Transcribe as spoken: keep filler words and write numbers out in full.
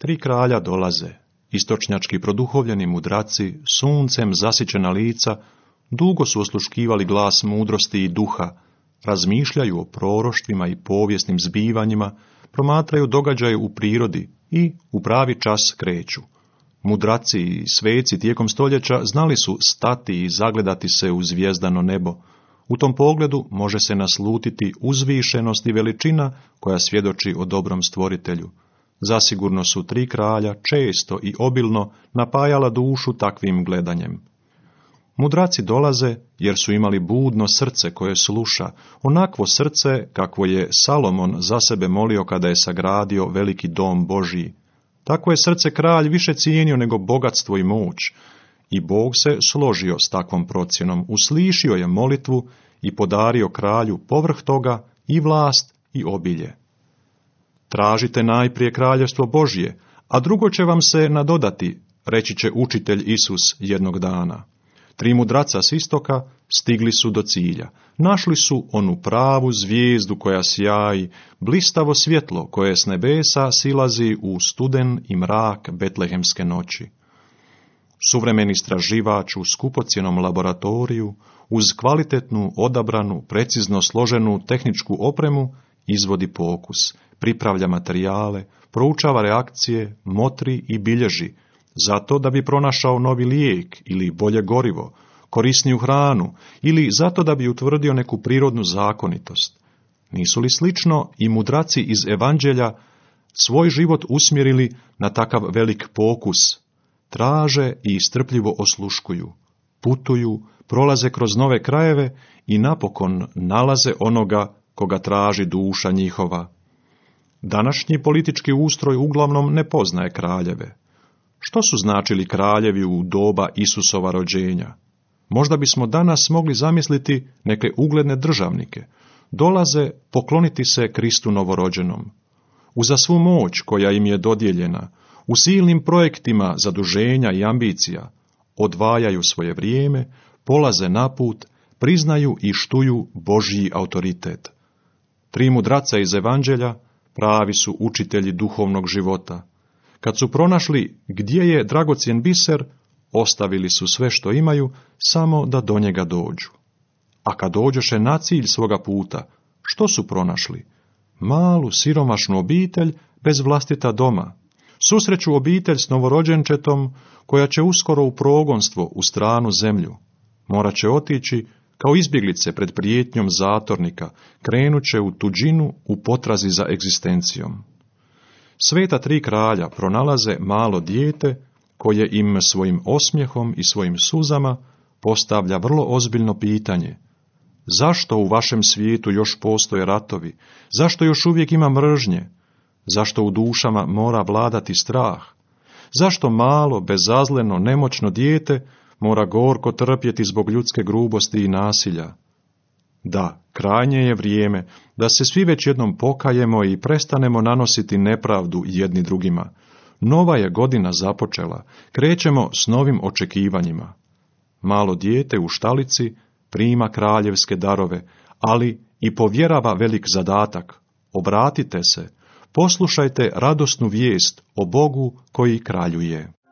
Tri kralja dolaze, istočnjački produhovljeni mudraci, suncem zasićena lica, dugo su osluškivali glas mudrosti i duha, razmišljaju o proroštvima i povijesnim zbivanjima, promatraju događaje u prirodi i u pravi čas kreću. Mudraci i sveci tijekom stoljeća znali su stati i zagledati se u zvijezdano nebo. U tom pogledu može se naslutiti uzvišenost i veličina koja svjedoči o dobrom stvoritelju. Zasigurno su tri kralja često i obilno napajala dušu takvim gledanjem. Mudraci dolaze jer su imali budno srce koje sluša, onakvo srce kakvo je Salomon za sebe molio kada je sagradio veliki dom Božji. Tako je srce kralj više cijenio nego bogatstvo i moć, i Bog se složio s takvom procjenom, uslišio je molitvu i podario kralju povrh toga i vlast i obilje. Tražite najprije kraljevstvo Božje, a drugo će vam se nadodati, reći će učitelj Isus jednog dana. Tri mudraca s istoka stigli su do cilja. Našli su onu pravu zvijezdu koja sjaji, blistavo svjetlo koje s nebesa silazi u studen i mrak betlehemske noći. Suvremeni istraživač u skupocjenom laboratoriju, uz kvalitetnu, odabranu, precizno složenu tehničku opremu, izvodi pokus, pripravlja materijale, proučava reakcije, motri i bilježi, zato da bi pronašao novi lijek ili bolje gorivo, korisniju hranu ili zato da bi utvrdio neku prirodnu zakonitost. Nisu li slično i mudraci iz evanđelja svoj život usmjerili na takav velik pokus? Traže i strpljivo osluškuju, putuju, prolaze kroz nove krajeve i napokon nalaze onoga koga traži duša njihova. Današnji politički ustroj uglavnom ne poznaje kraljeve. Što su značili kraljevi u doba Isusova rođenja? Možda bismo danas mogli zamisliti neke ugledne državnike. Dolaze pokloniti se Kristu novorođenom. Uza svu moć koja im je dodijeljena, u silnim projektima zaduženja i ambicija, odvajaju svoje vrijeme, polaze na put, priznaju i štuju Božji autoritet. Tri mudraca iz evanđelja pravi su učitelji duhovnog života. Kad su pronašli gdje je dragocjen biser, ostavili su sve što imaju, samo da do njega dođu. A kad dođoše na cilj svoga puta, što su pronašli? Malu, siromašnu obitelj bez vlastita doma. Susreću obitelj s novorođenčetom, koja će uskoro u progonstvo u stranu zemlju. Morat će otići kao izbjeglice pred prijetnjom zatornika, krenut će u tuđinu u potrazi za egzistencijom. Sveta tri kralja pronalaze malo dijete koje im svojim osmijehom i svojim suzama postavlja vrlo ozbiljno pitanje. Zašto u vašem svijetu još postoje ratovi? Zašto još uvijek ima mržnje? Zašto u dušama mora vladati strah? Zašto malo, bezazleno, nemoćno dijete mora gorko trpjeti zbog ljudske grubosti i nasilja? Da, krajnje je vrijeme da se svi već jednom pokajemo i prestanemo nanositi nepravdu jedni drugima. Nova je godina započela, krećemo s novim očekivanjima. Malo dijete u štalici prima kraljevske darove, ali i povjerava velik zadatak. Obratite se, poslušajte radosnu vijest o Bogu koji kraljuje.